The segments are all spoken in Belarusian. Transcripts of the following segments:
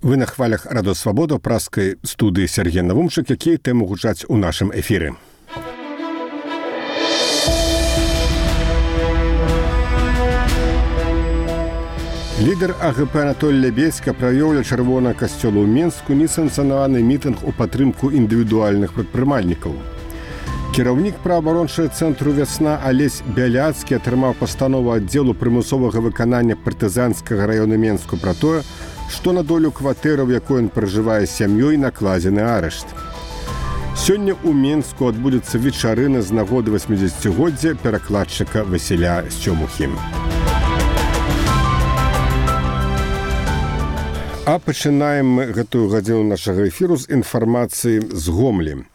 Вы на хвалях Радо Свабода ў праскай студыі Сергей Навумчык, якія тэмы гучаць у нашым эфіры. Лідар АГП Анатолій Лябедзька правёў ля Чырвонага касцёла ў Менску несанкцыянаваны мітынг у падтрымку індывідуальных прадпрымальнікаў. Кіраўнік праабарончага цэнтру «Вясна» Алесь Бяляцкі атрымаў пастанову аддзелу прымусовага выканання партызанскага раёна Менску пра тое, што на долю кватэры, у якой ён пражывае з сям'ёй, накладзены арышт. Сёння ў Менску адбудзецца вечарына з нагоды 80-годдзя перакладчыка Васіля Сцёмухі. А пачынаем мы гэтую гадзіну нашага эфіру з інфармацыі з Гомлі.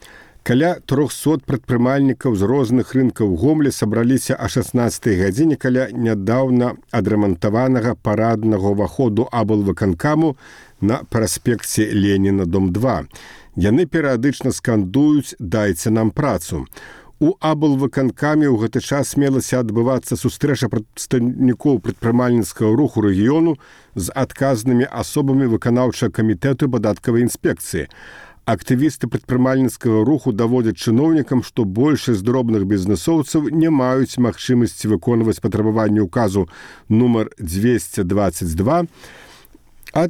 Каля 300 прадпрымальнікаў з розных рынкаў Гомлі сабраліся о 16-й гадзіне каля нядаўна адрамантаванага параднага ўваходу аблвыканкаму на праспекце Леніна, дом 2. Яны перыядычна скандуюць «Дайце нам працу». У аблвыканкаме ў гэты час мелася адбывацца сустрэча прадстаўнікоў прадпрымальніцкага руху рэгіёну з адказнымі асобамі выканаўчага камітэту падаткавай інспекцыі. Актывісты прадпрымальніцкага руху даводзяць чыноўнікам, што большасць дробных бізнэсоўцаў не маюць магчымасці выконваць патрабаванні ўказу нумар 222, а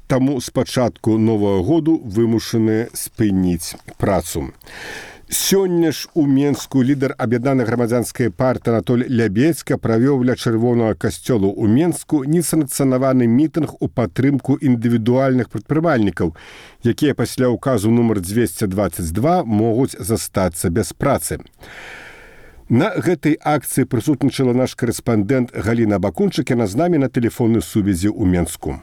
таму з пачатку новага году вымушаны спыніць працу. Сёння ж у Менску лідар аб'яднанай грамадзянскай партыі Анатолій Лябедзька правёў ля Чырвонага касцёла ў Менску несанкцыянаваны мітынг у падтрымку індывідуальных прадпрымальнікаў, якія пасля ўказу нумар 222 могуць застацца без працы. На гэтай акцыі прысутнічала наш карэспандэнт Галіна Бакунчык, яна з намі на тэлефоннай сувязі ў Менску.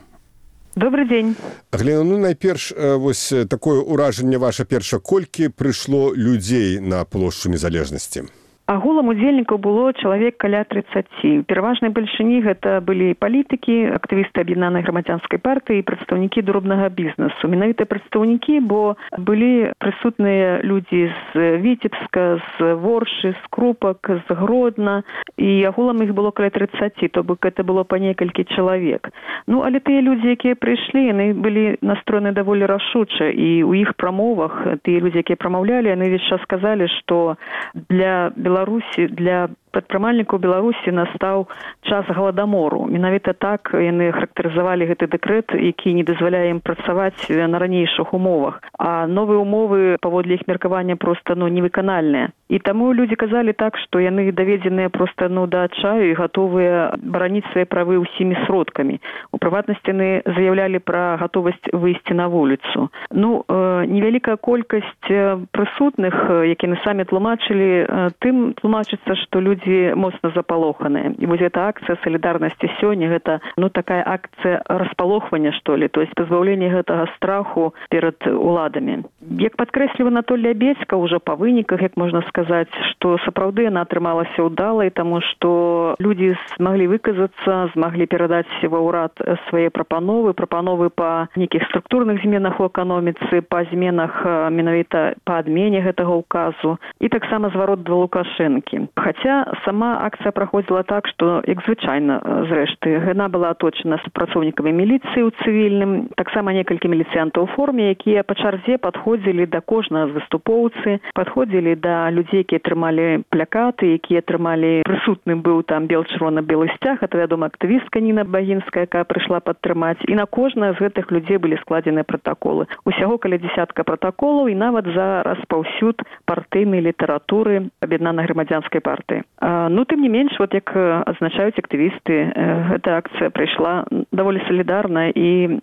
Добрый дзень. Глена, найперш, вось такое ўражанне ваша перша, колькі прыйшло людзей на плошчу Незалежнасці? Агулам удзельнікаў было чалавек каля 30. У пераважнай бальшыні гэта былі палітыкі, актывісты аб'яднанай грамадзянскай партыі і прадстаўнікі дробнага бізнесу. Менавіта прадстаўнікі, бо былі прысутныя людзі з Віцебска, з Воршы, з Крупак, з Гродна, і агулам іх было каля 30, то бок гэта было па некалькі чалавек. Ну, але тыя людзі, якія прыйшлі, яны былі настроены даволі рашуча, і ў іх прамовах тыя людзі, якія прамаўлялі, яны ўвесь час сказалі, што для Беларусі, для прадпрымальнікаў Беларусі настаў час галадамору. Менавіта так яны характарызавалі гэты дэкрэт, які не дазваляе ім працаваць на ранейшых умовах. А новыя умовы, паводле іх меркавання, проста невыканальныя. І таму людзі казалі так, што яны даведзеныя проста да адчаю і гатовыя бараніць свае правы ўсімі сродкамі. У прыватнасці яны заявлялі пра гатовасць выйсці на вуліцу. Ну, невялікая колькасць прысутных, якія самі тлумачылі, тым тлумачыцца, што людзі моцна запалоханыя. І вось эта акцыя салідарнасці сёння, гэта такая акцыя распалохвання, што ли, то есть пазбаўлення гэтага страху перад уладамі. Як падкрэсліў Анатолій Лябедзька ўжо па выніках, як можна сказаць, што сапраўды яна атрымалася ўдалай, таму што людзі змаглі выказацца, змаглі перадаць ва ўрад свае прапановы па нейкіх структурных зменах у эканоміцы, па зменах менавіта па адмене гэтага ўказу і таксама зварот да Лукашэнкі. Хаця сама акцыя праходзіла так, што, як звычайна, зрэшты, яна была аточана супрацоўнікамі міліцыі ў цывільным, таксама некалькі міліцыянтаў у форме, якія па чарзе падходзілі да кожнага з выступоўцы, падходзілі да людзей, якія трымалі плакаты, якія трымалі, прысутным быў там бел-чырвона-белы сцяг, это, вядома, актывістка Ніна Багінская, якая прыйшла падтрымаць, і на кожнага з гэтых людзей былі складзеныя пратаколы. Усяго каля 10 пратаколаў, і нават за распаўсюд партыйнай літаратуры аб'яднанай грамадзянскай партыі. Тым не менш, як адзначаюць актывісты, гэта акцыя прайшла даволі салідарна і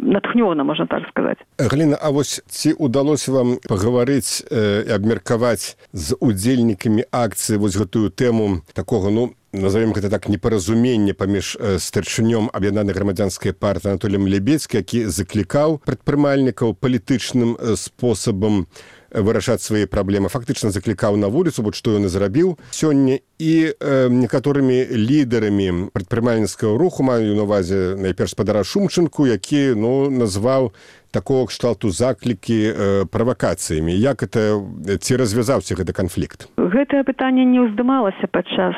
натхнёна, можна так сказаць. Галіна, а вось ці ўдалося вам пагаварыць і абмеркаваць з удзельнікамі акцыі вось гэтую тэму такога, назовем гэта так, непаразумення паміж старшынём аб'яднанай грамадзянскай партыі Анатоліем Лябедзькім, які заклікаў прадпрымальнікаў палітычным спосабам вырашаць свае праблемы, фактычна заклікаў на вуліцу, што ён і зрабіў сёння, і некаторымі лідарамі прадпрымальніцкага руху, маю на ўвазе найперш спадара Шумчынку, які назваў такого кшталту заклікі правакацыямі. Як это, ці развязаўся гэты канфлікт? Гэтае пытанне не ўздымалася падчас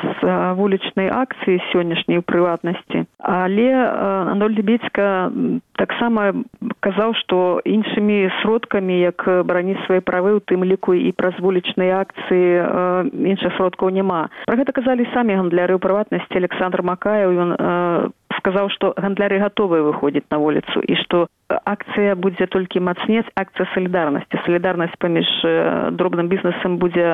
вулічнай акцыі сённяшняй у прыватнасці. Але Анатоль Лебедзька таксама казаў, што іншымі сродкамі, як бараніць свае правы, у тым ліку і праз вулічныя акцыі, іншых сродкаў няма. Пра гэта казалі самі гандляры, у прыватнасці Александр Макаев. Ён сказаў, што гандляры гатовыя выходзіць на вуліцу і што акцыя будзе толькі мацнець, акцыя салідарнасці. Салідарнасць паміж дробным бізнесам будзе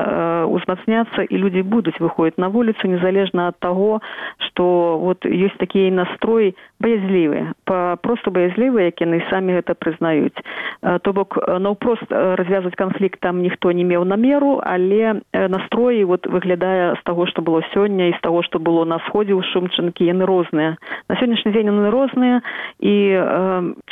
узмацняцца, і людзі будуць выходзіць на вуліцу, незалежна ад таго, што вот ёсць такі настрой баязлівы, просто баязлівы, як яны самі гэта прызнаюць. То бок, наўпрост развязваць канфлікт там ніхто не меў намеру, але настроі вот выглядае з таго, што было сёння, і з таго, што было на сходзе ў Шумчынкі, яны розныя. На сённяшні дзень яны розныя, і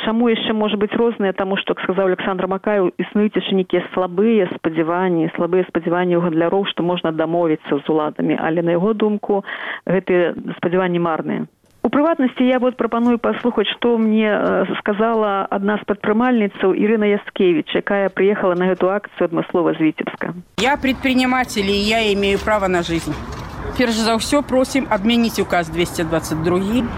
чаму яшчэ можа быць розныя, таму што, як сказаў Александр Макаев, існуюць яшчэ нейкія слабыя спадзяванні ў гандляроў, што можна дамовіцца з уладамі, але на яго думку гэтыя спадзяванні марныя. У прыватнасці я вот прапаную паслухаць, што мне сказала адна з прадпрымальніцаў Ірына Яскевіч, якая приехала на эту акцию адмыслова з Витебска. Я предприниматель, и я имею право на жизнь. Перш за ўсё просім адмяніць указ 222,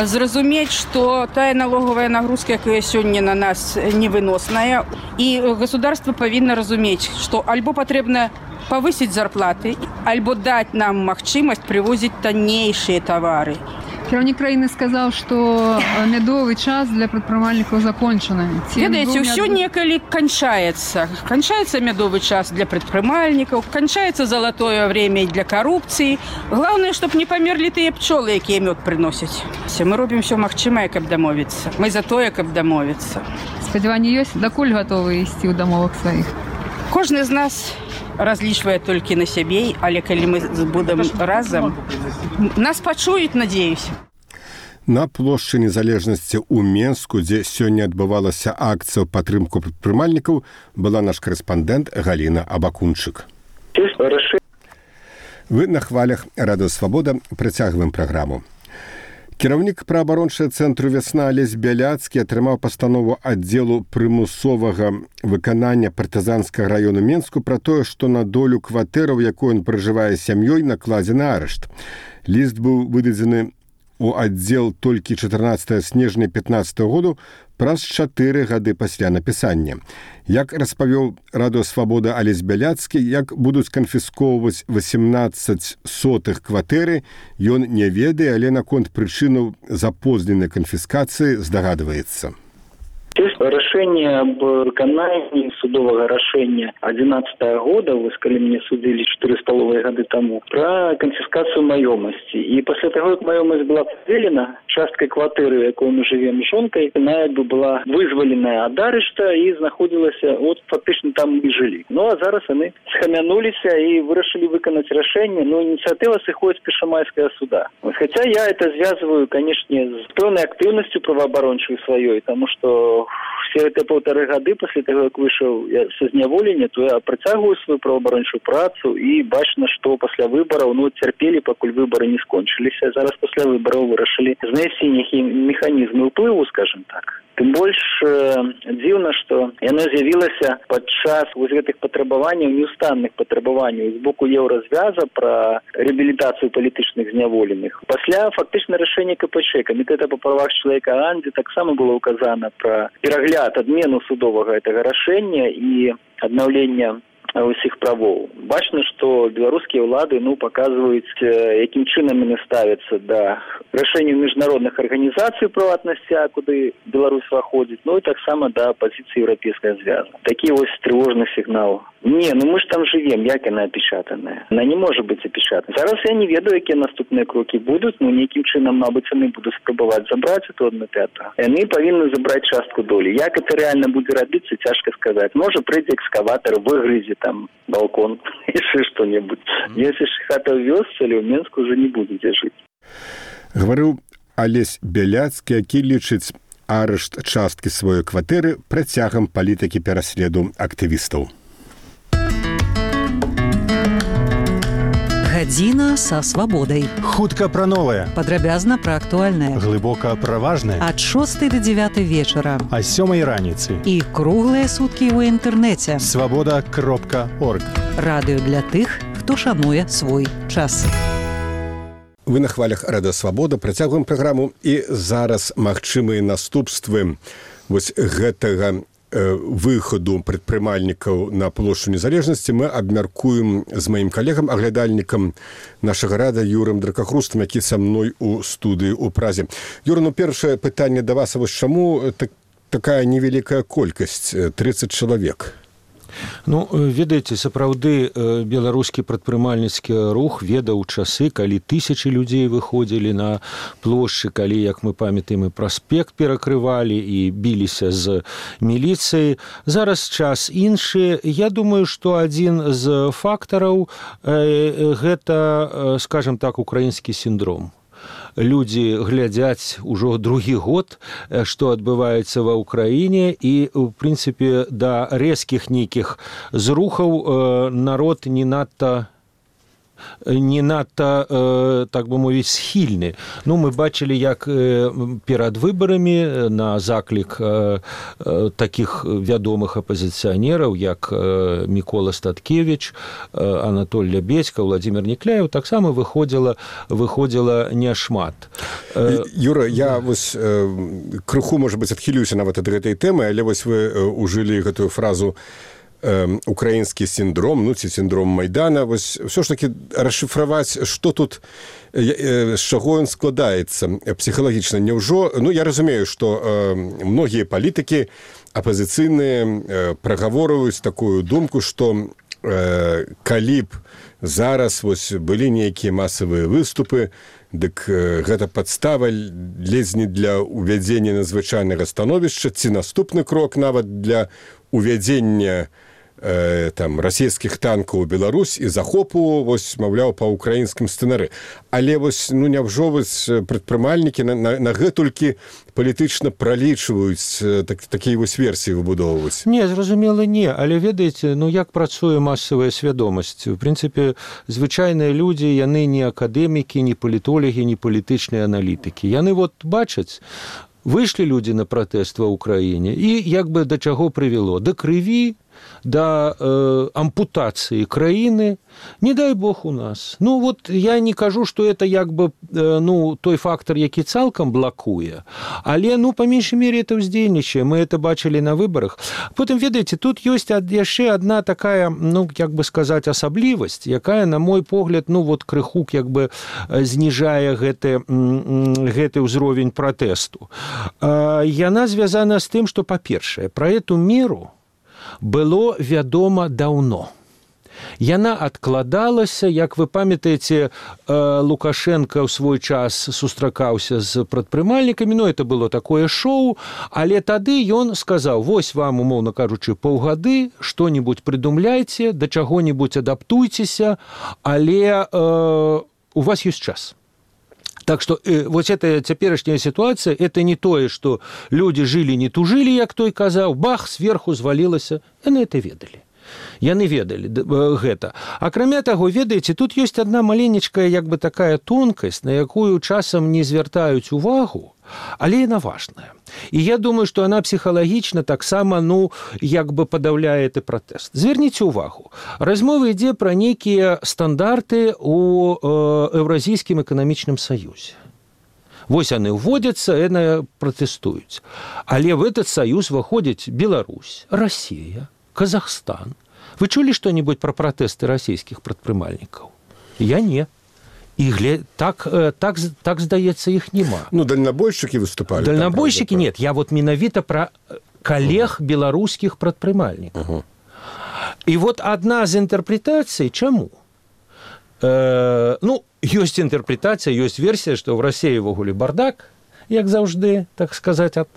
зразумець, што тая налоговая нагрузка, якая сёння на нас невыносная, і государство павінна разумець, што альбо патрэбна павысіць зарплаты, альбо даць нам магчымасць прывозіць таннейшыя тавары. Кіраўнік краіны сказаў, што мядовы час для прадпрымальнікаў закончаны. Ведаеце, ўсё некалі канчаецца. Канчаецца мядовы час для прадпрымальнікаў, канчаецца залатое время для карупцыі. Главное, чтоб не памерлі тыя пчолы, якія мёд прыносяць. Мы робім ўсё магчымае, каб дамовіцца. Мы за тое, каб дамовіцца. Спадзяванні ёсць, дакуль гатовы ісці ў дамовах сваіх? Кожны з нас разлічвае толькі на сябе, але калі мы будем разам, нас пачуюць, надеюсь. На плошчы Незалежнасці ў Менску, дзе сёння адбывалася акцыя ў падтрымку прадпрымальнікаў, была наш карэспандэнт Галіна Абакунчык. Вы на хвалях Радыё Свабода, працягваем праграму. Кіраўнік праабарончага цэнтру «Вясна» Алесь Бяляцкі атрымаў пастанову аддзелу прымусовага выканання партызанскага раёну Менску пра тое, што на долю кватэраў, якой ён пражывае сям'ёй, накладзены арышт. Ліст быў выдадзены у аддзел толькі 14 снежня 15 году, праз 4 гады пасля напісання. Як распавёў Радыё Свабода Алесь Бяляцкі, як будуць канфіскоўваць 18 сотых кватэры, ён не ведае, але наконт прычынаў запозненай канфіскацыі здагадваецца. Рашение об выканании судового решения 2011 года, вы сказали, мне судили 4,5 года тому, про конфискацию маёмости. И после того, как маёмость была поделена, частка квартиры, в якой мы живем с жонкой, она была вызволена от арешта и находилась, вот фактично там мы жили. Ну а зараз они схамянулись и вырашили выконать решение, но инициатива сыходит с Першамайского суда. Вот, хотя я это связываю, конечно, с полной активностью правооборончей своей, потому что все эти 1,5 года после того, как вышел со зняволення, то я працягваю свою правоабарончую працу і бачна, што пасля выбараў цярпелі, пакуль выбары не скончыліся. Зараз пасля выбараў вырашылі знайсці нейкія механізмы ўплыву, скажем так. Тым больш дзіўна, што яно з'явілася падчас гэтых патрабаванняў, неустанных патрабаванняў з боку Еўразвяза пра рэабілітацыю палітычных зняволеных. Пасля фактычна рашэння КПЧ, Камітэта па правах чалавека АН, дзе таксама было указана пра перагляд, адмену судовага гэтага рашэння і аднаўлення усіх правоў. Бачна, што беларускія ўлады паказваюць, якім чынам яны ставяцца да рашэнняў міжнародных арганізацый прыватнасці, куды Беларусь уваходзіць, і таксама да пазіцыі Еўрапейскага звяза. Такі вось трывожны сігнал. Не, мы ж там живем, як яна апечатаная. Она не может быть апечатана. Зараз я не ведаю, якія наступныя крокі будуць, нейкім чынам, мабыць, яны будуць спрабаваць забраць эту 1/5. Яны павінны забраць частку долі. Як это реально будзе рабіцца, цяжка сказаць. Можа, прыйдзе экскаватор, выгрызе там балкон, яшчэ што-небудзь. Если ж хата ў вёсцы, але ў Менску уже не будзе жыць. Гаварыў Алесь Бяляцкі, які лічыць арышт часткі сваёй кватэры працягам палітыкі пераследу актывістаў. Гадзіна са свабодай. Хутка пра новае. Падрабязна пра актуальнае. Глыбока пра важнае. Ад 6 до 9 вечара. А 7 раніцы. І круглыя суткі ў інтэрнэце. Свабода.орг. Радыё для тых, хто шануе свой час. Вы на хвалях Радыё Свабода, працягваем праграму, і зараз магчымыя наступствы вось гэтага выхаду прадпрымальнікаў на плошчу Незалежнасці мы абмяркуем з маім калегам, аглядальнікам нашага рада Юрым Дракахрустам, які са мной у студыі ў Празе. Юра, першае пытанне да вас, вось чаму такая невялікая колькасць, 30 чалавек? Ведаеце, сапраўды беларускі прадпрымальніцкі рух ведаў часы, калі тысячы людзей выходзілі на плошчы, калі, як мы памятаем, і праспект перакрывалі і біліся з міліцыяй. Зараз час іншы. Я думаю, што адзін з фактараў гэта, скажем так, украінскі сіндром. Людзі глядзяць ужо другі год, што адбываецца ва ўкраіне, і, у прынцыпе, да рэзкіх нейкіх зрухаў народ не надта, так бы мовіць, схільны. Мы бачылі, як перад выбарамі на заклік такіх вядомых апазіцыянераў, як Мікола Статкевіч, Анатоль Лябедзька, Владзімір Некляеў, таксама выходзіла няшмат. Юра, я вось крыху, можа быць, адхілюся нават ад гэтай тэмы, але вось вы ужылі гэтую фразу украінскі сіндром, ці сіндром Майдана. Вось все ж таки расшифраваць, што тут, з чаго ён складаецца псіхалагічна. Няўжо, я разумею, што многія палітыкі апазіцыйныя прагаворваюць такую думку, што калі б зараз вось былі нейкія масавыя выступы, дык гэта падстава ледзь не для ўвядзення надзвычайнага становішча, ці наступны крок нават для ўвядзення расійскіх танкаў у Беларусь і захопу, вось, маўляў, па ўкраінскім сцэнары. Але вось, няўжо вось прадпрымальнікі на гэтулькі палітычна пралічваюць такія вось версіі выбудоўваць? Не, зразумела, не. Але ведаеце, як працуе масавая свядомасць? У прынцыпе, звычайныя людзі, яны не акадэмікі, не палітолагі, не палітычныя аналітыкі. Яны бачаць, выйшлі людзі на пратэст ва ўкраіне, і як бы да чаго прывяло? Да крыві, да ампутацыі краіны, не дай бог у нас. Я не кажу, што это як бы той фактор, які цалкам блакуе, але, па меншай мере, это ўздзейнічае. Мы это бачылі на выбарах. Потым, ведаеце, тут ёсць яшчэ адна такая, як бы сказаць, асаблівасць, якая, на мой погляд, крыху як бы зніжае гэты ўзровень пратэсту. Яна звязана з тым, што, па-першае, пра эту меру было вядома даўно. Яна адкладалася, як вы памятаеце, Лукашенко ў свой час сустракаўся з прадпрымальнікамі, это было такое шоу, але тады ён сказаў, вось вам, умоўна кажучы, паўгады, што-небудзь прыдумляйце, да чаго-небудзь адаптуйцеся, але у вас ёсць час. Так что вот эта цяперашняя ситуация, это не тое, что люди жили, не тужили, як той казаў, бах, сверху звалілася. Яны это ведалі. Яны ведалі гэта. Акрамя таго, ведаеце, тут ёсць адна маленечкая, як бы такая тонкасць, на якую часам не звяртаюць увагу, але яна важная. І я думаю, што яна псіхалагічна таксама, як бы падаўляе гэты пратэст. Зверніце ўвагу. Размова ідзе пра нейкія стандарты ў Еўразійскім эканамічным саюзе. Вось яны ўводзяцца, яны пратэстуюць. Але в этот саюз выходзяць Беларусь, Россия, Казахстан. Вы чулі што-нибудь пра пратэсты расійскіх прадпрымальнікаў? Я не. І так, здаецца, іх няма. Дальнабойшчыкі выступалі. Дальнабойшчыкі нет. Я менавіта пра калег беларускіх прадпрымальнікаў. І адна з інтэрпрэтацый, чаму? Ёсць інтэрпрэтацыя, ёсць версія, што ў Расіі ўвогуле бардак, як заўжды, так сказаць, ад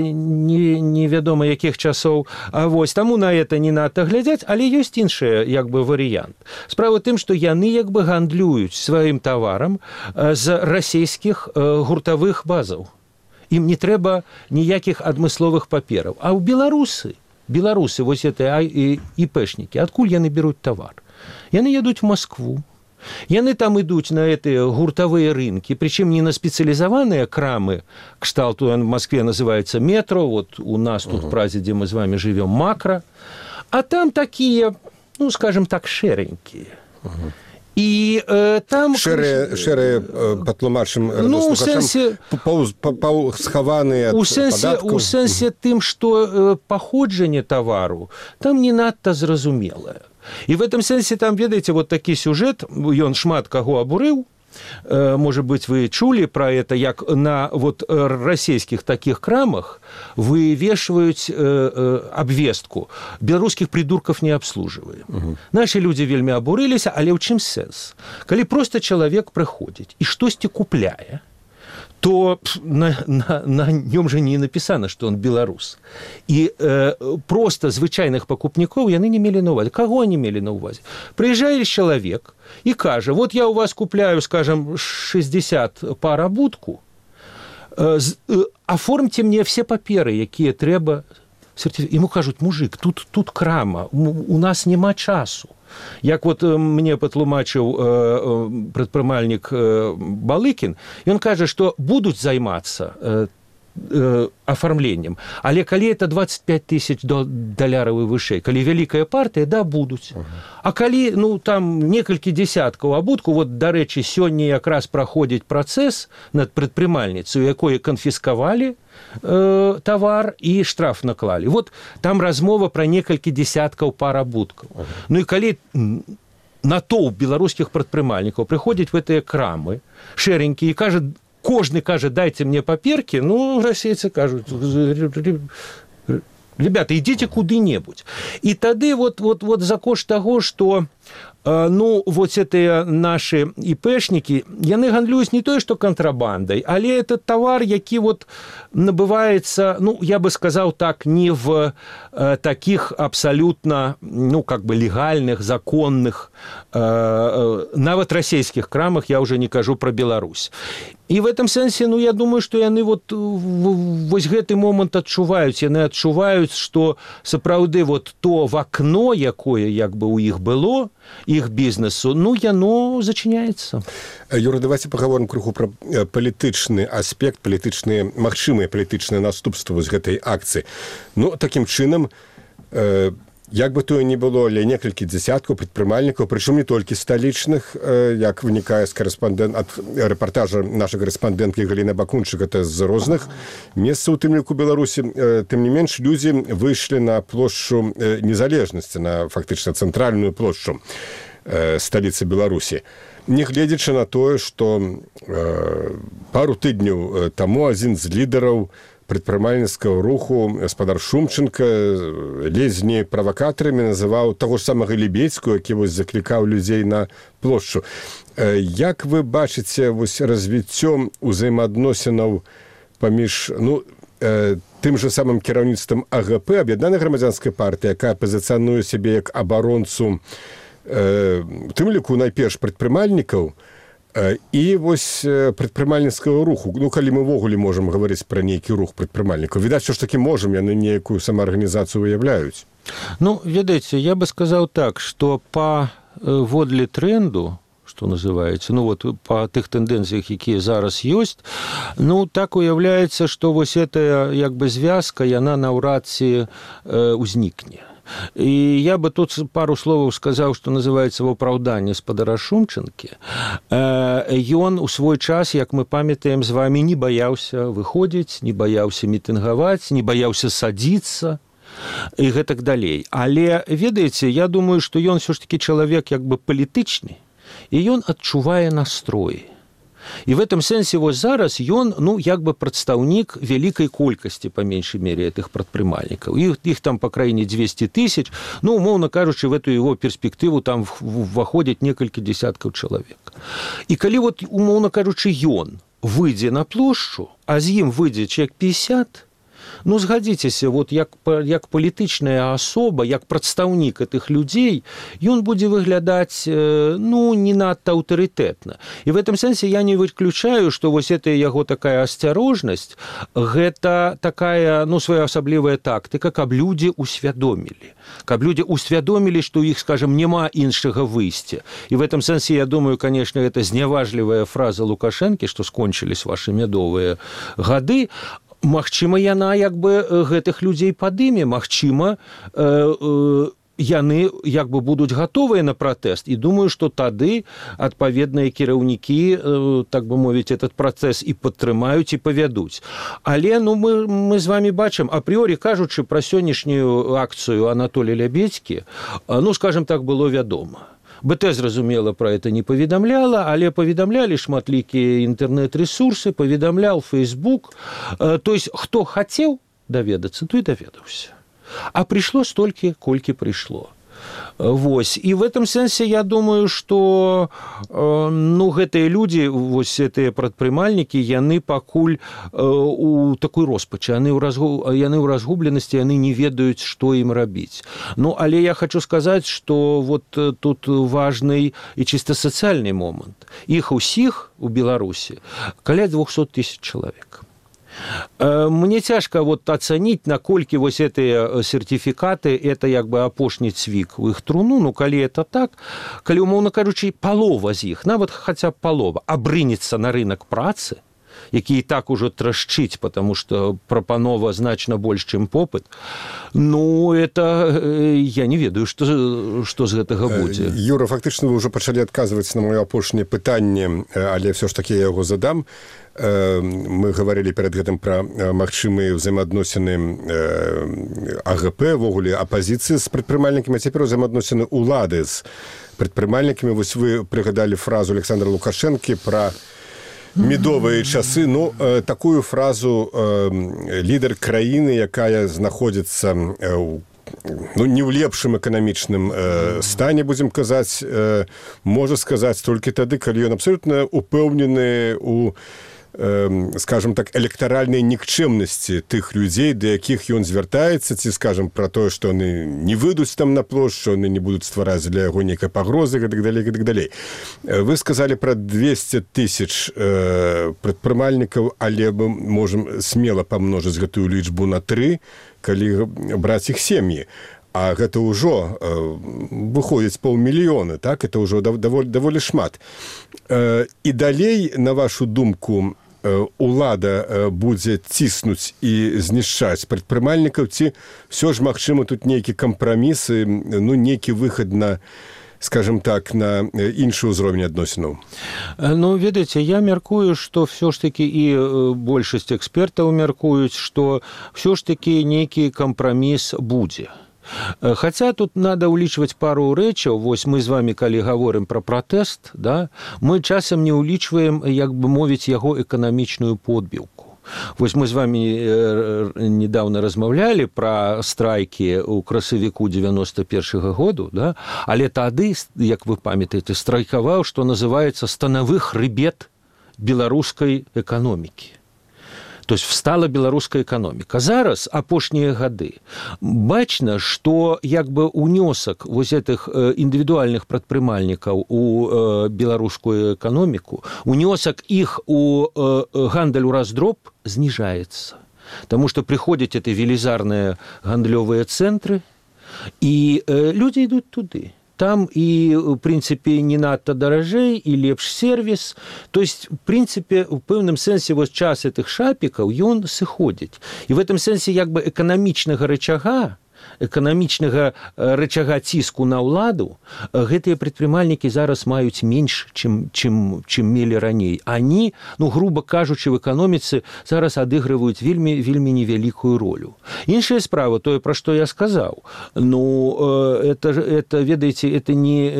невядома якіх часоў. Таму на это не надта глядзяць, але ёсць іншы як бы варыянт. Справа ў тым, што яны як бы гандлююць сваім таварам з расійскіх гуртавых базаў. Ім не трэба ніякіх адмысловых папераў. А ў беларусы, вось гэтыя ІПшнікі, адкуль яны беруць тавар? Яны едуць в Москву. Яны там ідуць на гэтыя гуртавыя рынкі, прычым не на спецыялізаваныя крамы, кшталту в Москве называецца метро, у нас тут в Празе, дзе мы з вами жывём, макро, а там такія, скажем так, шэранькія. І там шэрыя патлумачым ну, схаваныя у сэнсе тым, што паходжанне тавару там не надта зразумелае. І в этом сэнсе там, ведаеце, вот такі сюжэт, ён шмат каго абурыў. Может быть, вы чулі пра это, як на вот расійскіх такіх крамах вывешваюць абвестку: беларускіх придурков не абслуживаем. Нашы людзі вельмі абурыліся, але ў чым сэнс? Калі просто чалавек прыходзіць і штосьці купляе, то на нем же не написано, что он белорус. И просто звычайных покупников яны не мели на увазе. Кого они мели на увазе? Приезжает человек и кажа: вот я у вас купляю, скажем, 60 пар абутку, оформьте мне все паперы, якія трэба. Ему кажут: мужик, тут крама, у нас нема часу. Як вот мне патлумачыў прадпрымальнік Балыкін, ён кажа, што будуць займацца афармленнем, але калі это 25 тысяч даляраў і вышэй, калі вялікая партыя, да, будуць. А калі, ну, там некалькі дзесяткаў абутку, вот, дарэчы, сёння якраз праходзіць працэс над прадпрымальніцай, у якой канфіскавалі тавар і штраф наклалі. Вот там размова пра некалькі дзесяткаў пар абуткаў. Ну і калі натоўп беларускіх прадпрымальнікаў прыходзіць в гэтыя крамы шэренькі і кажа, кожны кажа: дайце мне паперкі, ну, расейцы кажуць: ребята, ідзіце куды-небудзь. І тады вот за кошт таго, што ну, вот гэтыя нашы ІПшнікі, яны гандлююць не тое, што кантрабандай, але это тавар, які вот набываецца, ну, я бы сказаў так, не в таких абсолютно, ну, как бы легальных, законных, нават расійскіх крамах, я уже не кажу про Беларусь. І в этом сэнсе, ну, я думаю, што яны вот вось гэты момант адчуваюць, яны адчуваюць, што сапраўды вот то вакно, якое як бы у іх было, іх бізнесу, ну, яно зачыняецца. Юра, давайте паговорым крыху пра палітычны аспект, магчымыя палітычныя наступствы з гэтай акцыі. Ну, такім чынам, як бы тое не было, але некалькі дзесяткаў прадпрымальнікаў, прычым не толькі сталічных, як вынікае ад рэпартажа нашай карэспандэнткі Галіны Бакунчык, это з розных месцаў, у тым ліку Беларусі. Тым не менш, людзі выйшлі на плошчу Незалежнасці, на фактычна цэнтральную плошчу сталіцы Беларусі. Нягледзячы на тое, што пару тыдняў таму адзін з лідараў прадпрымальніцкага руху, гаспадар Шумченко, ледзь не правакатарамі называў таго ж самага Лебедзькую, які вось заклікаў людзей на плошчу. Як вы бачыце вось развіццё ўзаемаадносінаў паміж, ну, тым же самым кіраўніцтвам АГП, Аб'яднаная грамадзянская партыя, якая пазіцыянуе сябе як абаронцу, тым ліку найперш прадпрымальнікаў, і вось прадпрымальніцкага руху. Ну, калі мы ўвогуле можам гаварыць пра нейкі рух прадпрымальнікаў, відаць, што ж такі можам, яны нейкую самаарганізацыю выяўляюць. Ну, ведаеце, я бы сказаў так, што паводле тренду, што называецца, ну, вот па тых тэндэнцыях, якія зараз ёсць, ну, так уяўляецца, што вось гэтая, як бы, звязка, яна наўрад ці ўзнікне. І я бы тут пару словаў сказаў, што называецца в апраўданні спадара Шумченкі. Ён у свой час, як мы памятаем з вами, не баяўся выходзіць, не баяўся мітынгаваць, не баяўся садзіцца і гэтак далей. Але, ведаеце, я думаю, што ён ўсё ж такі чалавек як бы палітычны, і ён адчувае настроі. І в этом сэнсе вось зараз ён, ну, як бы прадстаўнік вялікай колькасці, па меншай мере, гэтых прадпрымальнікаў. Іх там па краіне 200 тысяч, ну, умоўна кажучы, в эту его перспектыву там ўваходзяць некалькі дзесяткаў чалавек. І калі вот, умоўна кажучы, ён выйдзе на плошчу, а з ім выйдзе чалавек 50, ну, згадзіцеся, вот як палітычная асоба, як прадстаўнік гэтых людзей, ён будзе выглядаць, ну, не надта аўтарытэтна. І в этом сэнсе я не выключаю, што вось гэта яго такая асцярожнасць, гэта такая, ну, своеасаблівая тактыка, каб людзі усвядомілі. Каб людзі усвядомілі, што ў іх, скажем, няма іншага выйсця. І в этом сэнсе, я думаю, конечно, гэта зняважлівая фраза Лукашэнкі, што скончылись ваши мядовыя гады. Магчыма, яна як бы гэтых людзей падыме, магчыма, яны як бы будуць гатовыя на пратэст, і думаю, што тады адпаведныя кіраўнікі, так бы мовіць, этот працэс і падтрымаюць і павядуць. Але мы з вами бачым, апрыёрі кажучы пра сённяшнюю акцыю Анатолія Лябедзькі, скажем так, было вядома. БТ, зразумела, пра это не паведамляла, але паведамлялі шматлікія інтэрнэт-рэсурсы, паведамляў Facebook. То есть, хто хацеў даведацца, той даведаўся. А прыйшло столькі, колькі прыйшло. Вось. І в этом сэнсе я думаю, што гэтыя людзі, вось гэтыя прадпрымальнікі, яны пакуль у такой роспачы, яны ў разгубленасці, яны не ведаюць, што ім рабіць. Але я хочу сказаць, што вот тут важны і чыста сацыяльны момант. Іх усіх у Беларусі каля 200 000 чалавек. Мне цяжка ацаніць, наколькі вось гэтыя сертыфікаты, это як бы апошні цвік у іх труну, калі это так, калі, умоўна кажучы, палова з іх, нават хаця б палова, абрынецца на рынок працы, які і так ужо трашчыць, потому што прапанова значна больш, чым попыт, это я не ведаю, што з гэтага будзе. Юра, фактычна вы ўжо пачалі адказваць на маё апошняе пытанне, але ўсё ж такі я яго задам. Мы гаварылі перад гэтым пра магчымыя ўзаемаадносіны АГП, ввогуле апазіцыі з прадпрымальнікамі, а цяпер ўзаемаадносіны ўлады з прадпрымальнікамі. Вось вы прыгадалі фразу Александра Лукашэнкі пра медовыя часы. Такую фразу лідар краіны, якая знаходзіцца не ў лепшым эканамічным стане, будзем казаць, можа сказаць толькі тады, калі ён абсалютна упэўнены у, скажем так, электаральнай нікчэмнасці тых людзей, да якіх ён звяртаецца, ці, скажем, пра тое, што яны не выйдуць там на плошчу, яны не будуць ствараць для яго нейкай пагрозы, гэтак далей. Вы сказалі пра 200 000 прадпрымальнікаў, але мы можам смела памножыць гэтую лічбу на 3, калі браць іх сем'і. А гэта ўжо выходзіць 500 000, так? Это ўжо даволі шмат. І далей, на вашу думку, улада будзе ціснуць і знішчаць прадпрымальнікаў, ці ўсё ж магчыма тут нейкі кампраміс, нейкі выхад на, скажем так, на іншы ўзровень адносінаў? Ведаеце, я мяркую, што ўсё ж такі і большасць экспертаў мяркуюць, што ўсё ж такі нейкі кампраміс будзе. Хаця тут надо ўлічваць пару рэчаў. Вось мы з вами, калі гаворым пра пратэст, мы часам не ўлічваем, як бы мовіць, яго эканамічную подбіўку. Вось мы з вами недавно размаўлялі пра страйкі ў красавіку 91-го году, але тады, як вы памятаеце, страйкаваў, што называецца станавы хрыбет беларускай эканомікі. То есть встала беларуская эканоміка. Зараз, апошнія гады, бачна, што як бы унёсак вось гэтых індывідуальных прадпрымальнікаў у беларускую эканоміку, унёсак іх у гандаль у раздроб зніжаецца. Таму што прыходзяць эти велізарныя гандлёвыя цэнтры, і людзі ідуць туды. Там і, в прынцыпе, не надта даражэй, і лепш сервіс. То есть, в прынцыпе, у пэўным сэнсе вось час гэтых шапікаў, ён сыходзіць. І в этом сэнсе, як бы, эканамічнага рычага ціску на ўладу, гэтыя прадпрымальнікі зараз маюць менш, чым мелі раней. Они, грубо кажучы, в эканоміцы зараз адыгрываюць вельмі невялікую ролю. Іншая справа, тое, пра што я сказаў, это, ведаеце, это не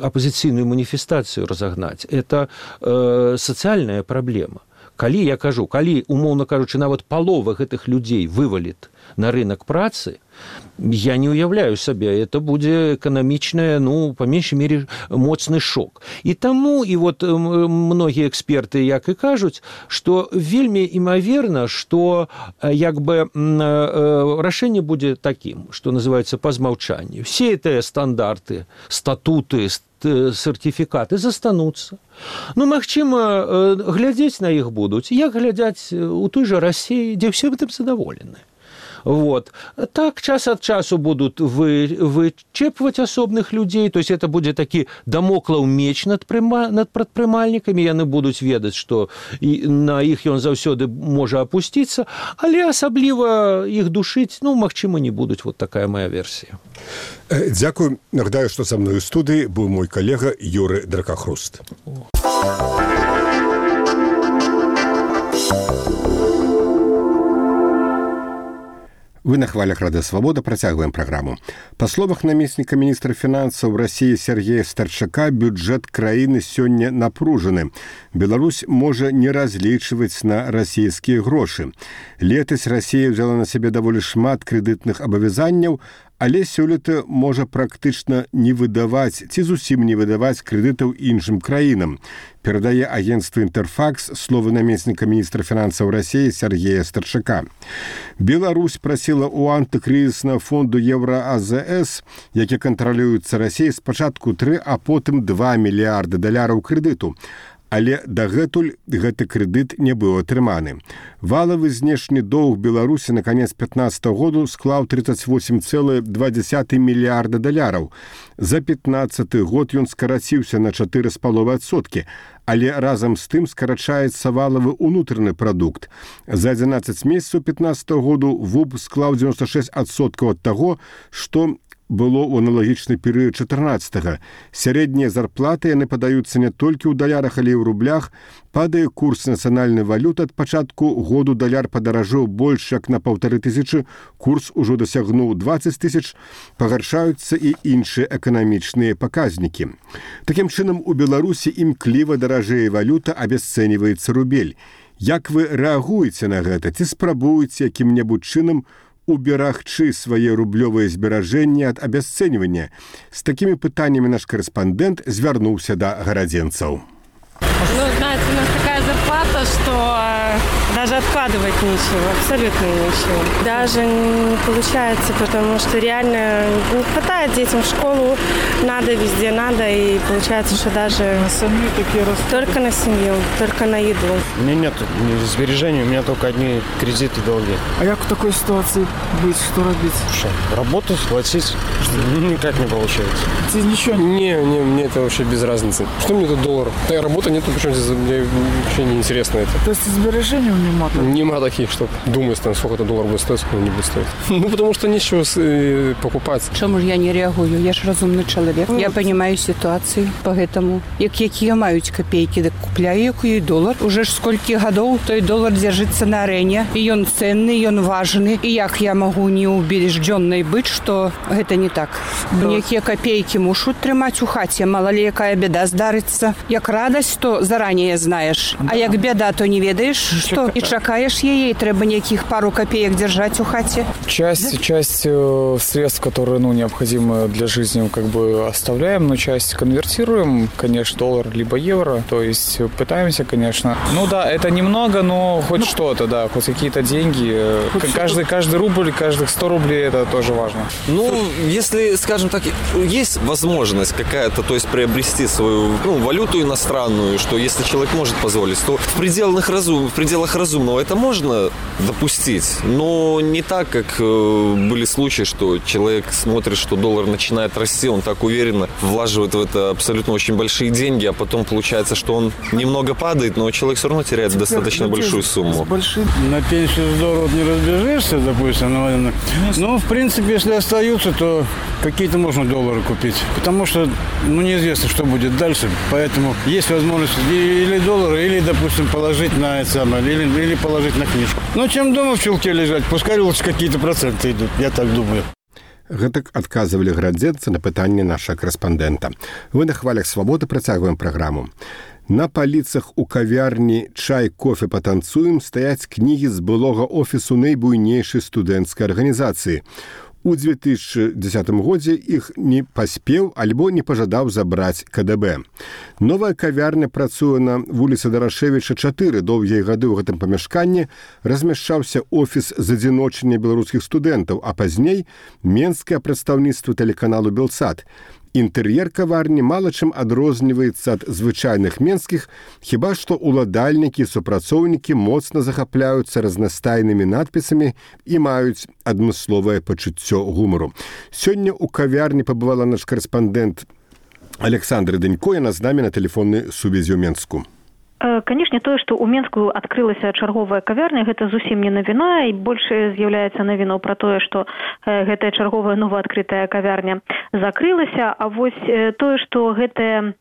апозіцыйную маніфестацыю разагнаць, это сацыяльная праблема. Калі, я кажу, умоўна кажучы, нават палова гэтых людзей вываліт на рынок працы, я не уяўляю сабе, это будзе эканамічная, па меншай мере, моцны шок. І таму, і вот многія эксперты як і кажуць, што вельмі імаверна, што як бы рашэнне будзе такім, што называецца па змаўчанню. Все гэтыя стандарты, статуты, сертификаты застануцца. Магчыма, глядзець на іх будуць, як глядзяць у той жа Расіі, дзе ўсе гэтым задаволены. Вот. Так, час от часу будут вычепывать особных людей, то есть это будет такі дамоклаў меч над прадпрымальнікамі, яны будуць ведаць, што на іх ён заўсёды можа апусціцца, але асабліва іх душыць, магчыма, не будуць. Вот такая моя версія. Дзякую. Нагадаю, што са мной у студыі быў мой калега Юры Дракахруст. Вы на хвалях Радыё Свабода, працягваем праграму. Па словах намесніка міністра фінансаў Расіі Сергея Старчака, бюджэт краіны сёння напружаны. Беларусь можа не разлічваць на расійскія грошы. Летась Расія взяла на сябе даволі шмат крэдытных абавязанняў, але сёлета можа практычна не выдаваць ці зусім не выдаваць крэдытаў іншым краінам. Перадае агенцтва «Інтэрфакс» словы намесніка міністра фінансаў Расіі Сергея Старчака. Беларусь прасіла ў антыкрызіснага фонду Еўра-АЗС, які кантралюецца Расіяй, спачатку 3, а потым 2 мільярды даляраў крэдыту. Але дагэтуль гэты крэдыт не быў атрыманы. Валавы знешні доўг Беларусі на канец 2015 году склаў 38,2 мільярда даляраў. За 2015 год ён скараціўся на 4,5%, але разам з тым скарачаецца валавы ўнутраны прадукт. За 11 месяцаў 2015 году ВУБ склаў 96% ад таго, што было ў аналагічны перыяд 14-го. Сярэднія зарплаты яны падаюцца не толькі ў далярах, але і ў рублях. Падае курс нацыянальнай валюты. Ад пачатку году даляр падаражэў больш як на 1500, курс ужо дасягнуў 20 000, пагаршаюцца і іншыя эканамічныя паказнікі. Такім чынам, у Беларусі імкліва даражэе валюта, абясцэньваецца рубель. Як вы рэагуеце на гэта? Ці спрабуеце якім-небудзь чынам уберагчы свае рублёвыя зберажэнні ад абясцэньвання? З такімі пытаннямі наш корэспандэнт звярнуўся да гарадзенцаў. Знаете, у нас такая зарплата, что даже откладывать нечего, абсолютно нечего. Даже не получается, потому что реально не хватает детям в школу, надо, везде надо, и получается, что даже на семью такие только на семью, только на еду. У меня нет сбережений, у меня только одни кредиты, долги. А как в такой ситуации быть, что робить? Что, работать, платить? Никак не получается. Здесь ничего? Не, мне это вообще без разницы. Что мне тут доллар? Да, работа нету, причем здесь мне вообще не интересно это. То есть сбережений нема? Нема таких, что думаю, сколько это доллар будет стоить, сколько не будет стоить. Потому что нечего покупать. Чому ж я не реагую? Я ж розумний чоловік. Я розумію ситуацію, поэтому, які мають копійки, так купляю який долар. Уже ж скільки років той долар держиться на арені, і він цінний, він важний. І як я можу не убежденной бути, що це не так? Які копійки мушуть тримати у хаті, мало ли яка біда здариться. Як радость, то заранее знаєш, а як біда, то не ведаєш, що і чекаєш її, і треба ніяких пару копеек держать у хате. Часть средств, которые необходимы для жизни, оставляем, но часть конвертируем, конечно, доллар либо евро, то есть пытаемся, конечно. Это немного, но хоть что-то, да, хоть какие-то деньги. Каждый рубль, каждых 100 рублей, это тоже важно. Если, скажем так, есть возможность какая-то, то есть приобрести свою валюту иностранную, что если человек может позволить, то в пределах разумного это можно допустить, но не так, как были случаи, что человек смотрит, что доллар начинает расти, он так уверенно влаживает в это абсолютно очень большие деньги, а потом получается, что он немного падает, но человек все равно теряет достаточно большую сумму. На пенсию здорово не разбежишься, допустим, но в принципе, если остаются, то какие-то можно доллары купить, потому что неизвестно, что будет дальше, поэтому есть возможность или доллары, или, допустим, положить на это самое, или положить на книжку. Чем дома в чулке лежать, пускай лучше какие-то проценты идут, я так думаю. Гэтак адказвалі гарадзенцы на пытанне нашага корэспандэнта. Вы на хвалях свабоды, працягваем праграму. На паліцах у кавярні «Чай, кофе, патанцуем» стаяць кнігі з былога офісу найбуйнейшай студэнцкай арганізацыі. У 2010 годзе іх не паспеў альбо не пажадаў забраць КДБ. Новая кавярня працуе на вуліцы Дарашевіча 4. Доўгія гады ў гэтым памяшканні размяшчаўся офіс задзіночання беларускіх студэнтаў, а пазней менскае прадстаўніцтва тэлеканалу «Белсат». Інтэр'ер каварні мала чым адрозніваецца ад звычайных менскіх, хіба што уладальнікі і супрацоўнікі моцна захапляюцца разнастайнымі надпісамі і маюць адмысловае пачуццё гумару. Сёння ў кавярні пабывала наш карэспандэнт Александр Дэнько, яна з намі на тэлефоннай сувязі ў Менску. Канешне, тое, што ў Менску адкрылася чарговая кавярня, гэта зусім не навіна, і больш з'яўляецца навіnou пра тое, што гэтая чарговая новаадкрытая кавярня закрылася, а вось тое, што гэтае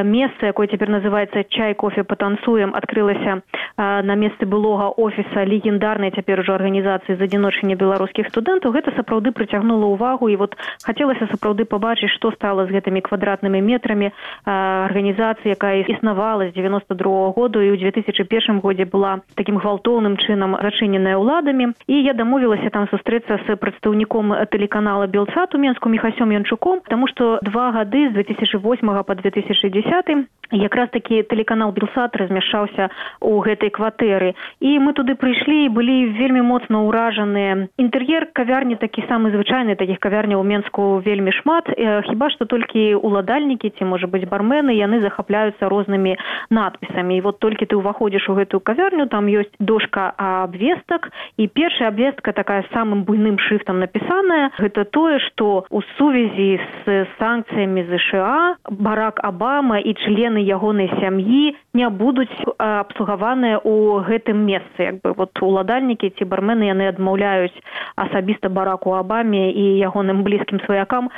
месца, якое цяпер называецца «Чай, кофе, патанцуем», адкрылася на месцы былога офіса легендарнай цяпер ужо арганізацыі з адзіночання беларускіх студэнтаў, гэта сапраўды прыцягнула ўвагу, і вот хацелася сапраўды пабачыць, што стала з гэтымі квадратнымі метрамі арганізацыі, якая існавала з 92 году і ў 2001 годзе была такім гвалтоўным чынам зачыненая ўладамі. І я дамовілася там сустрэцца з прадстаўніком тэлеканала «Белсат» у Менску Міхасём Янчуком, таму што 2 гады з 2008 па 2010 якраз такі тэлеканал «Белсат» размяшчаўся ў гэтай кватэры. І мы туды прыйшлі і былі вельмі моцна ўражаныя. Інтэр'ер кавярні такі самы звычайны, такіх кавярняў у Менску вельмі шмат, хіба што толькі уладальнікі ці, можа быць, бармены, яны захапляюцца рознымі надпісамі. І вот толькі ты ўваходзіш у гэтую кавярню, там ёсць дошка абвестак, і першая абвестка такая самым буйным шрифтам напісаная. Гэта тое, што ў сувязі з санкцыямі ЗША Барак Абама і члены ягонай сям'і не будуць абслугаваныя ў гэтым месцы. Вот уладальнікі ці бармены яны адмаўляюць асабіста Бараку Абаме і ягоным блізкім сваякам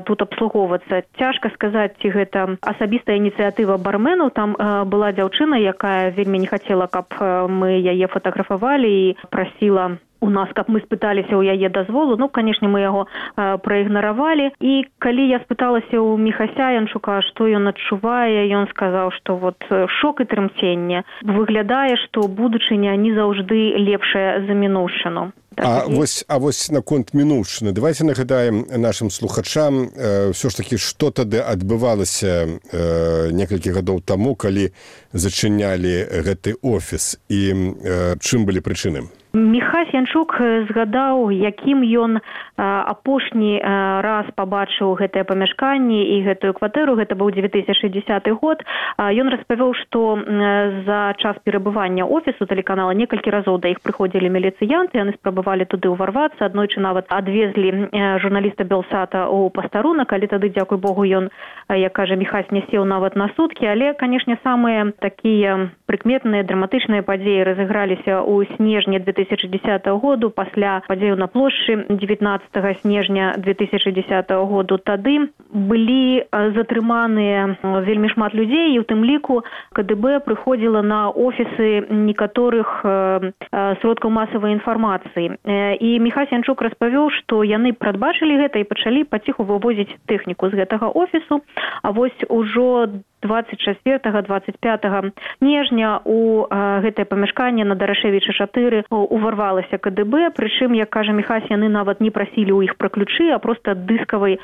тут абслугоўвацца. Цяжка сказаць, ці гэта асабістая ініцыятыва барменаў. Там была дзяўчына, якая вельмі не хацела, каб мы яе фатаграфавалі, і прасіла у нас, каб мы спыталіся ў яе дазволу. Ну, канешне, мы яго праігнаравалі. І калі я спыталася ў Міхася Янчука, што ён адчувае, ён сказаў, што вот шок і трымценне. Выглядае, што будучыня не заўжды лепшая за мінуўшчыну. А вось наконт мінуўшчыны. Давайте нагадаем нашим слухачам все ж таки, што тады адбывалася некалькі гадоў таму, калі зачынялі гэты офіс, і чым былі прычыны? Міхась Янчук згадаў, якім ён апошні раз пабачыў гэтае памяшканне і гэтую кватэру. Гэта быў 2010 год. Ён распавёў, што за час перабывання офісу тэлеканала некалькі разоў да іх прыходзілі міліцыянты, яны спрабавалі туды ўварвацца, аднойчы нават адвезлі журналіста Белсата ў пастарунак, але тады, дзякуй Богу, ён, як кажа Міхась, не сеў нават на суткі. Але, канешне, самыя такія прыкметныя драматычныя падзеі разыграліся ў снежні 2010 году, пасля падзею на плошчы 19 снежня 2010 году. Тады былі затрыманыя вельмі шмат людзей, і ў тым ліку КДБ прыходзіла на офісы некаторых сродкаў масавай інфармацыі. І Міхась Янчук распавёў, што яны прадбачылі гэта і пачалі паціху вывозіць тэхніку з гэтага офісу. А вось ужо 24-25 снежня у гэтае памяшканне на Дарашевіча 4 уварвалася КДБ, прычым, як кажа Міхась, яны нават не прасілі ў іх пра ключы, а проста дыскавай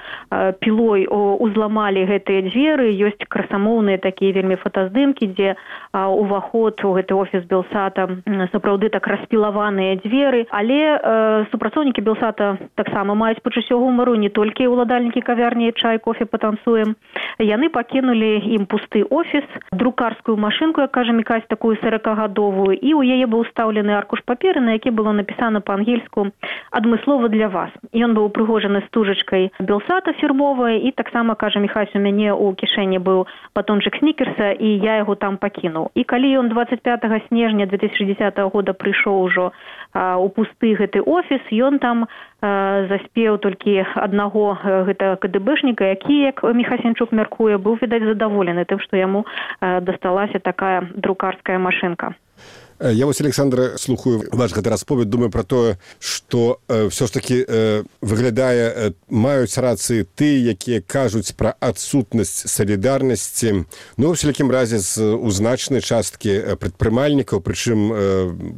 пілой узламалі гэтыя дзверы. Ёсць красамоўныя такія вельмі фотаздымкі, дзе уваход у гэты офіс Белсата сапраўды так распілаваныя дзверы. Але супрацоўнікі Белсата таксама маюць пачуццё гумару, не толькі ўладальнікі кавярні «Чай, кофе, патанцуем». Яны пакінулі ім пусты офіс, друкарскую машынку, як кажа Міхась, такую 40-гадовую, і ў яе быў устаўлены аркуш паперы, на які было напісана па-ангельску «Адмыслова для вас». Ён быў упрыгожаны стужачкай Белсата фірмовай, і таксама, кажа Міхась, у мяне ў кішэні быў батончык снікерса, і я яго там пакінуў. І калі ён 25 снежня 2010 года прыйшоў ужо у пусты гэты офіс, ён там заспеў толькі аднаго гэта КДБшніка, які, як Міхась Янчук мяркуе, быў, відаць, задаволены тым, што яму дасталася такая друкарская машынка. Я вось, Александра, слухаю ваш гэты расповед, думаю пра тое, што ўсё ж такі выглядае, маюць рацыі ты, якія кажуць пра адсутнасць салідарнасці, ну, у всялякім разе з значнай часткі прадпрымальнікаў, прычым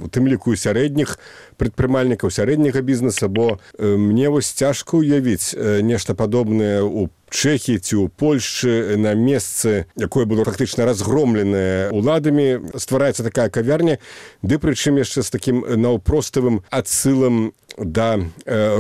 у тым ліку і сярэдніх прадпрымальнікаў, сярэдняга бізнеса, бо мне вось цяжка ўявіць нешта падобнае ў Чэхіі ці ў Польшчы на месцы, якое было практычна разгромленае уладамі, ствараецца такая кавярня, ды прычым яшчэ з такім наўпроставым адсылам да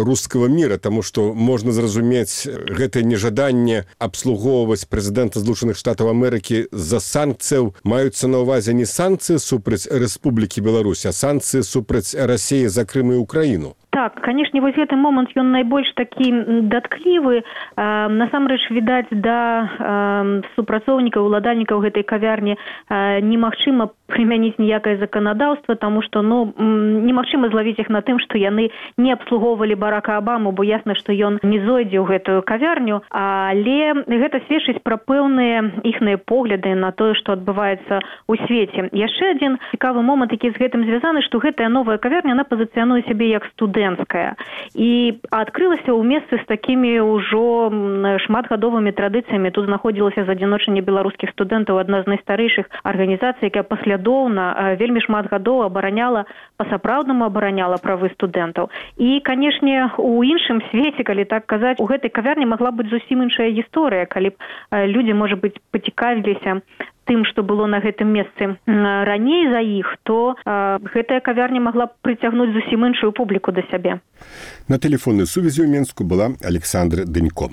рускага міра, таму што можна зразумець гэтае нежаданне абслугоўваць прэзідэнта Злучаных Штатаў Амерыкі з-за санкцыяў. Маюцца на ўвазе не санкцыі супраць Рэспублікі Беларусь, а санкцыі супраць Расіі за Крым і Украіну. Так, канешне, вось гэты момант ён найбольш такі датклівы. Насамрэч, відаць, да супрацоўнікаў, уладальнікаў гэтай кавярні немагчыма прымяніць ніякае заканадаўства, таму што немагчыма злавіць іх на тым, што яны не абслугоўвалі Барака Абаму, бо ясна, што ён не зойдзе ў гэтую кавярню, але гэта сведчыць пра пэўныя іхныя погляды на тое, што адбываецца ў свеце. Яшчэ адзін цікавы момант, які з гэтым звязаны, што гэтая новая кавярня, она пазіцыянуе сябе як студэнцкая і адкрылася ў месцы з такімі ўжо шматгадовымі традыцыямі. Тут знаходзілася задзіночанне беларускіх студэнтаў, адна з найстарэйшых арганізацый, якая паслядоўна вельмі шмат гадоў абараняла, па-сапраўднаму абараняла правы студэнтаў. І, канешне, у іншым свеце, калі так казаць, у гэтай кавярні магла быць зусім іншая гісторыя, калі б людзі, можа быць, пацікавіліся тым, што было на гэтым месцы раней за іх, то гэтая кавярня магла б прыцягнуць зусім іншую публіку да сябе. На тэлефоннай сувязі ў Менску была Александра Дынько.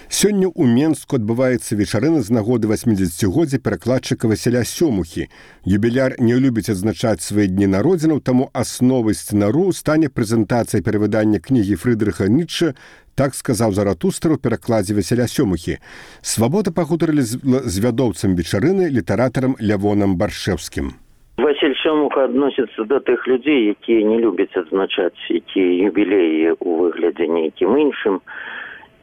Сёння ў Менску адбываецца вечарына з нагоды 80-годдзя перакладчыка Васіля Сёмухі. Юбіляр не любіць адзначаць свае дні народзінаў, таму асновай сцэнару стане прэзентацыя перавыдання кнігі Фрыдрыха Ніцшэ, так сказаў Заратустра ў перакладзе Васіля Сёмухі. Свабода пагутарылі з вядоўцам вечарыны, літаратарам Лявонам Баршэўскім. Васіль Сёмуха адносіцца да тых людзей, якія не любяць адзначаць якія юбілеі ў выглядзе нейкім іншым.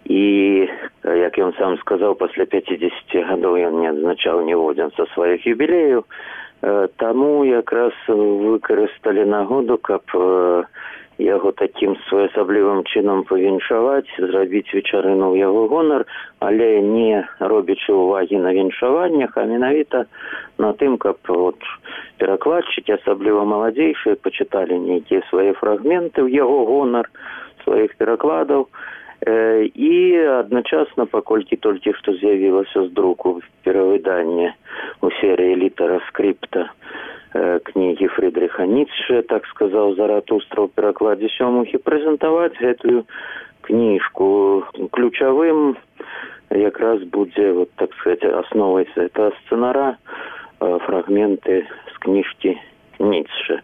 І, як ён сам сказаў, пасля 50 гадоў ён не адзначаў ніводзін са сваіх юбілеяў. Таму якраз выкарысталі нагоду, каб яго такім своеасаблівым чынам павіншаваць, зрабіць вечарыну ў яго гонар, але не робячы ўвагі на віншаваннях, а менавіта на тым, каб перакладчыкі, асабліва маладзейшыя, пачыталі нейкія свае фрагменты ў яго гонар, сваіх перакладаў. І адначасна, паколькі толькі што з'явілася з друку перавыданне ў серыі літара скрипта кнігі Фрыдрыха Ніцшэ, так сказаў Заратустра ў перакладзе Сёмухі, прэзентаваць гэтую кніжку. Ключавым якраз будзе, так сказаць, асновай гэтага сцэнара фрагменты з кніжкі Ніцшэ.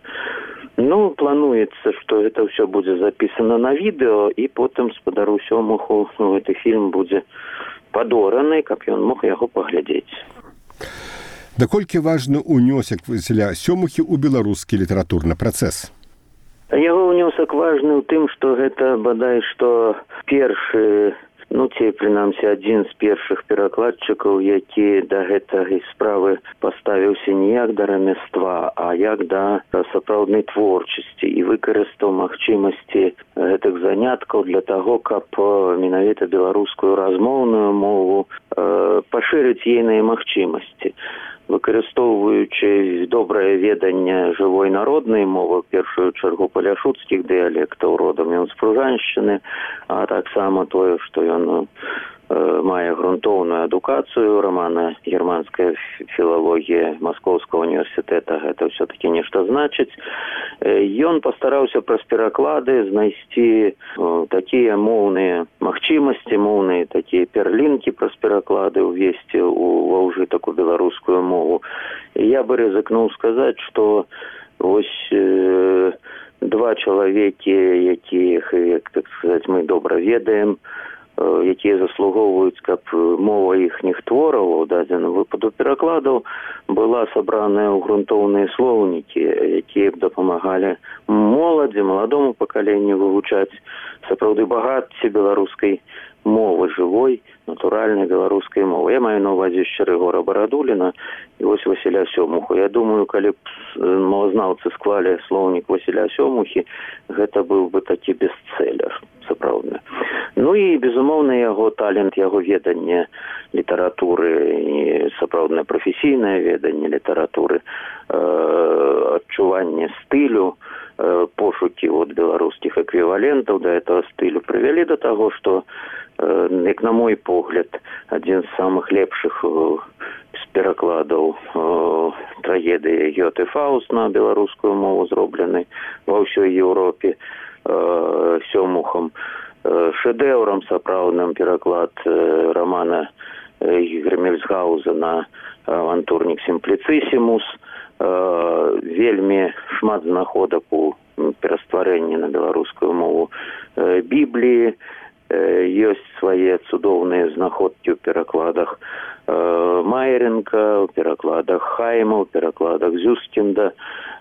Плануецца, што гэта ўсё будзе запісана на відэо, і потым спадару Сёмуху гэты фільм будзе падораны, каб ён мог яго паглядзець. Даколькі важны ўнёсак Васіля Сёмухі ў беларускі літаратурны працэс? Яго ўнёсак важны ў тым, што гэта бадай што першы, ці прынамсі адзін з першых перакладчыкаў, які да гэтай справы паставіўся не як да рамяства, а як да сапраўднай творчасці і выкарыстаў магчымасці гэтых заняткаў для таго, каб менавіта беларускую размоўную мову пашырыць ейныя магчымасці. Выкарыстоўваючы добрае веданне жывой народнай мовы, в першую чаргу паляшуцкіх дыялектаў родам ён з Пружаншчыны, а таксама тое, што ён мае грунтоўную адукацыю, рамана-германская філалогія Маскоўскага універсітэта, гэта ўсё-такі нешта значыць. Ён пастараўся праз пераклады знайсці такія моўныя магчымасці, моўныя такія перлінкі праз пераклады ўвесці ва ўжытак у беларускую мову. І я бы рызыкнуў сказаць, што вось два чалавекі, якіх, як так сказаць, мы добра ведаем, якія заслугоўваюць, каб мова іхніх твораў у дадзеным выпаду перакладаў была сабраная ў грунтоўныя слоўнікі, якія б дапамагалі моладзі, маладому пакаленню вывучаць сапраўды багацце беларускай мовы, жывой, натуральнай беларускай мовы. Я маю на ўвазе яшчэ Рыгора Барадуліна і вось Васіля Сёмуху. Я думаю, калі б мовазнаўцы склалі слоўнік Васіля Сёмухі, гэта быў бы такі бестселлер, сапраўдны. І, безумоўна, яго талент, яго веданне літаратуры, і сапраўднае прафесійнае веданне літаратуры, адчуванне стылю, пошукі беларускіх эквівалентаў да этого стылю прывялі да таго, што, як на мой погляд, адзін з самых лепшых з перакладаў трагедыі Гёте Фауст на беларускую мову зроблены ва ўсёй Еўропе. Сёмухам шэдэўрам сапраўдным пераклад романа Грэмельсгаузена «Авантурнік сімпліцысімус». Вельмі шмат знаходак у перастварэнні на беларускую мову Бібліі. Ёсць свае цудоўныя знаходкі ў перакладах Майеренка, у перакладах Хайма, у перакладах Зюскінда,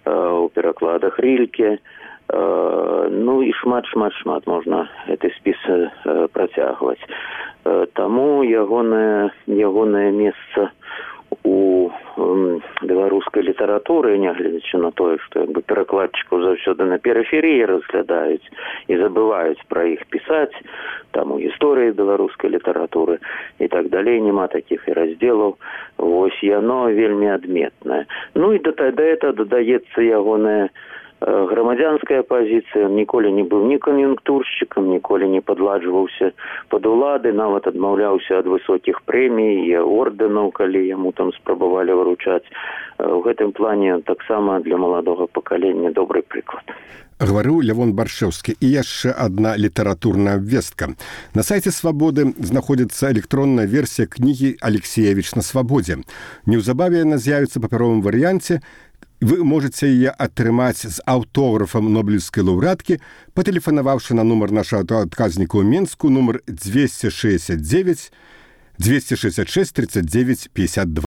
у перакладах Рільке. Ну і шмат можна гэты спіс працягваць. Таму ягонае месца у беларускай літаратуры, нягледзячы на тое, што перакладчыкаў заўсёды на перыферыі разглядаюць і забываюць пра іх пісаць, там у гісторыі беларускай літаратуры і так далей, няма такіх і раздзелаў. Вось яно вельмі адметнае. Ну і да этого дадаецца ягоная грамадзянская пазіцыя. Он ніколі не быў ні кан'юнктуршчыкам, ніколі не падладжваўся пад улады, нават адмаўляўся ад высокіх прэмій і ордэнаў, калі яму там спрабавалі выручаць. У гэтым плане таксама для маладога пакалення добры прыклад. Гаварыў Лявон Баршэўскі. І яшчэ адна літаратурная абвестка. На сайце «Свабоды» знаходзіцца электронная версія кнігі «Алексеевіч на свабодзе». Неўзабаве яна з'явіцца ў папяровым варыянце. Вы можете яе атрымаць з аўтографам нобелевскай лаўрэаткі, патэлефанаваўшы на нумар нашага адказніка ў Менску, нумар 266 39 52.